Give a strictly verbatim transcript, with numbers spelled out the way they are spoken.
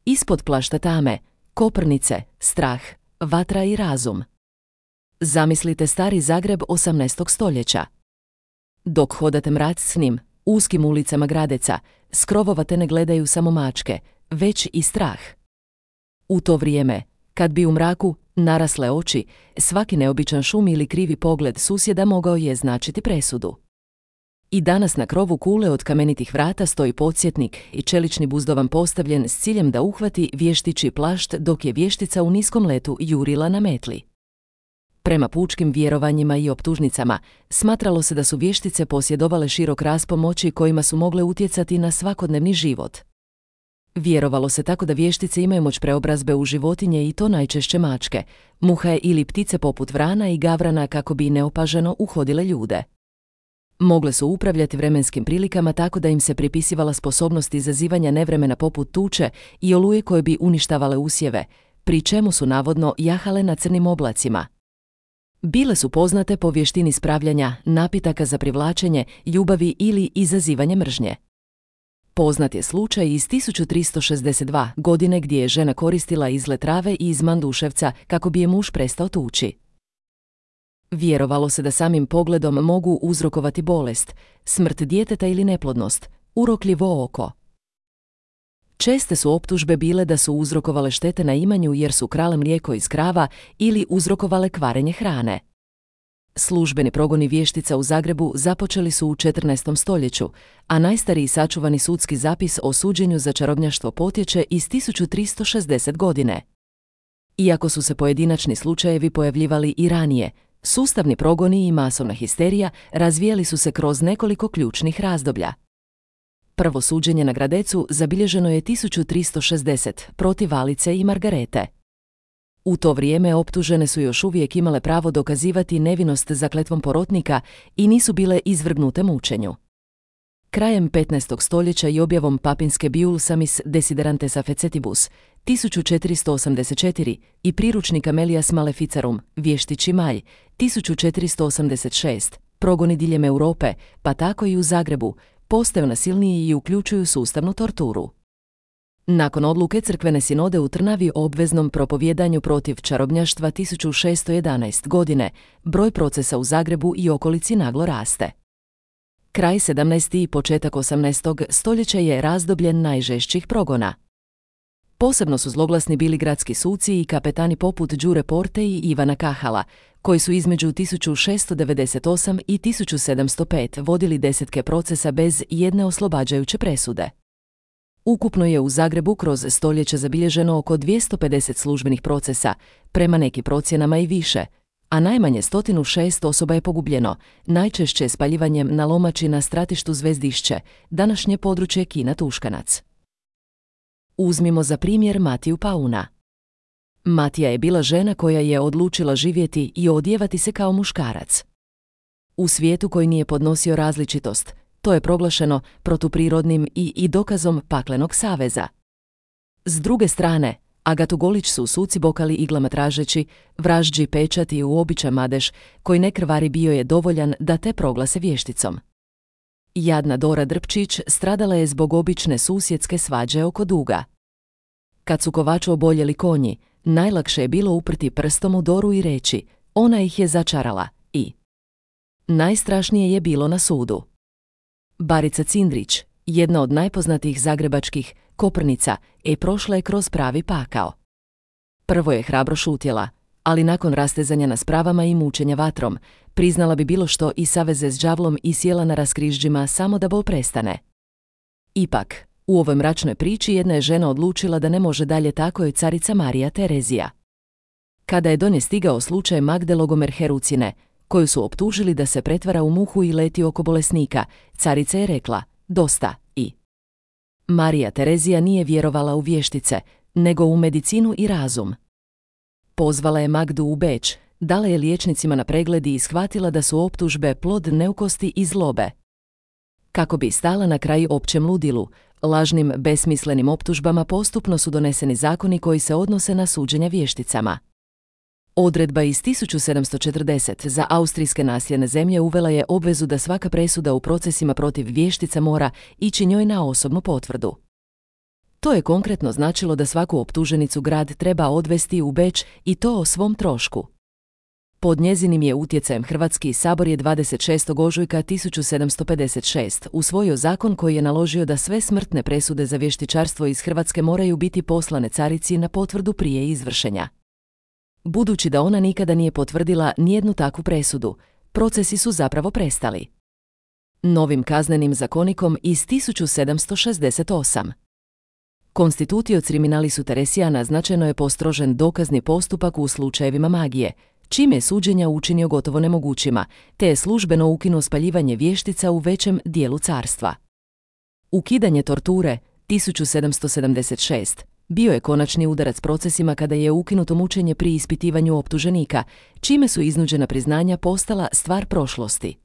Ispod plašta tame, Koprnice, strah, vatra i razum. Zamislite stari Zagreb osamnaestog stoljeća. Dok hodate mracnim, uskim ulicama Gradeca, s krovova te ne gledaju samo mačke, već i strah. U to vrijeme, kad bi u mraku narasle oči, svaki neobičan šum ili krivi pogled susjeda mogao je značiti presudu. I danas na krovu kule od kamenitih vrata stoji podsjetnik i čelični buzdovan postavljen s ciljem da uhvati vještičji plašt dok je vještica u niskom letu jurila na metli. Prema pučkim vjerovanjima i optužnicama, smatralo se da su vještice posjedovale širok raspon oči kojima su mogle utjecati na svakodnevni život. Vjerovalo se tako da vještice imaju moć preobrazbe u životinje i to najčešće mačke, muhe ili ptice poput vrana i gavrana kako bi neopaženo uhodile ljude. Mogle su upravljati vremenskim prilikama tako da im se pripisivala sposobnost izazivanja nevremena poput tuče i oluje koje bi uništavale usjeve, pri čemu su navodno jahale na crnim oblacima. Bile su poznate po vještini spravljanja napitaka za privlačenje, ljubavi ili izazivanje mržnje. Poznat je slučaj iz tisuću tristo šezdeset dva. godine gdje je žena koristila izlet trave i iz manduševca kako bi je muž prestao tući. Vjerovalo se da samim pogledom mogu uzrokovati bolest, smrt djeteta ili neplodnost, urokljivo oko. Česte su optužbe bile da su uzrokovale štete na imanju jer su krale mlijeko iz krava ili uzrokovale kvarenje hrane. Službeni progoni vještica u Zagrebu započeli su u četrnaestom stoljeću, a najstariji sačuvani sudski zapis o suđenju za čarobnjaštvo potječe iz tisuću tristo šezdeset. godine. Iako su se pojedinačni slučajevi pojavljivali i ranije, sustavni progoni i masovna histerija razvijali su se kroz nekoliko ključnih razdoblja. Prvo suđenje na Gradecu zabilježeno je tisuću tristo šezdeset protiv Alice i Margarete. U to vrijeme optužene su još uvijek imale pravo dokazivati nevinost zakletvom porotnika i nisu bile izvrgnute mučenju. Krajem petnaestog stoljeća i objavom papinske Biulsamis Desiderantesa Fecetibus tisuću četiristo osamdeset četiri i priručnika Melias Maleficarum, vještići malj, tisuću četiristo osamdeset šest, progoni diljem Europe, pa tako i u Zagrebu, postaju nasilniji i uključuju sustavnu torturu. Nakon odluke crkvene sinode u Trnavi o obveznom propovjedanju protiv čarobnjaštva tisuću šesto jedanaeste. godine, broj procesa u Zagrebu i okolici naglo raste. Kraj sedamnaestog i početak osamnaestog. stoljeća je razdoblje najžešćih progona. Posebno su zloglasni bili gradski suci i kapetani poput Đure Porte i Ivana Kahala, koji su između tisuću šesto devedeset osme. i tisuću sedamsto pete. vodili desetke procesa bez jedne oslobađajuće presude. Ukupno je u Zagrebu kroz stoljeće zabilježeno oko dvjesto pedeset službenih procesa, prema nekim procjenama i više, a najmanje sto šest osoba je pogubljeno, najčešće spaljivanjem na lomači na stratištu Zvezdišće, današnje područje Kina Tuškanac. Uzmimo za primjer Matiju Pauna. Matija je bila žena koja je odlučila živjeti i odjevati se kao muškarac. U svijetu koji nije podnosio različitost, to je proglašeno protuprirodnim i, i dokazom paklenog saveza. S druge strane, Agatu Golić su suci bokali iglama tražeći, vražđi pečat i uobičan madež, koji ne krvari bio je dovoljan da te proglase vješticom. Jadna Dora Drpčić stradala je zbog obične susjedske svađe oko duga. Kad su kovaču oboljeli konji, najlakše je bilo uprti prstom u Doru i reći, ona ih je začarala, i najstrašnije je bilo na sudu. Barica Cindrić, jedna od najpoznatijih zagrebačkih Koprnica, e prošla je kroz pravi pakao. Prvo je hrabro šutjela, ali nakon rastezanja na spravama i mučenja vatrom, priznala bi bilo što i saveze s đavlom i sjela na raskrižđima samo da bol prestane. Ipak, u ovoj mračnoj priči jedna je žena odlučila da ne može dalje, tako je carica Marija Terezija. Kada je do nje stigao slučaj Magde Logomer-Herucine, koju su optužili da se pretvara u muhu i leti oko bolesnika, carica je rekla, dosta, i Marija Terezija nije vjerovala u vještice, nego u medicinu i razum. Pozvala je Magdu u Beč, dala je liječnicima na pregled i shvatila da su optužbe plod neukosti i zlobe. Kako bi stala na kraj općem ludilu, lažnim, besmislenim optužbama postupno su doneseni zakoni koji se odnose na suđenja vješticama. Odredba iz tisuću sedamsto četrdesete za austrijske nasljedne zemlje uvela je obvezu da svaka presuda u procesima protiv vještica mora ići njoj na osobnu potvrdu. To je konkretno značilo da svaku optuženicu grad treba odvesti u Beč i to o svom trošku. Pod njezinim je utjecajem Hrvatski sabor je dvadeset šestog ožujka tisuću sedamsto pedeset šeste usvojio zakon koji je naložio da sve smrtne presude za vještičarstvo iz Hrvatske moraju biti poslane carici na potvrdu prije izvršenja. Budući da ona nikada nije potvrdila nijednu takvu presudu, procesi su zapravo prestali. Novim kaznenim zakonikom iz tisuću sedamsto šezdeset osam. Konstitutio criminalis Teresijana značajno je postrožen dokazni postupak u slučajevima magije, čime je suđenja učinio gotovo nemogućima, te je službeno ukinuo spaljivanje vještica u većem dijelu carstva. Ukidanje torture tisuću sedamsto sedamdeset šeste bio je konačni udarac procesima kada je ukinuto mučenje pri ispitivanju optuženika, čime su iznuđena priznanja postala stvar prošlosti.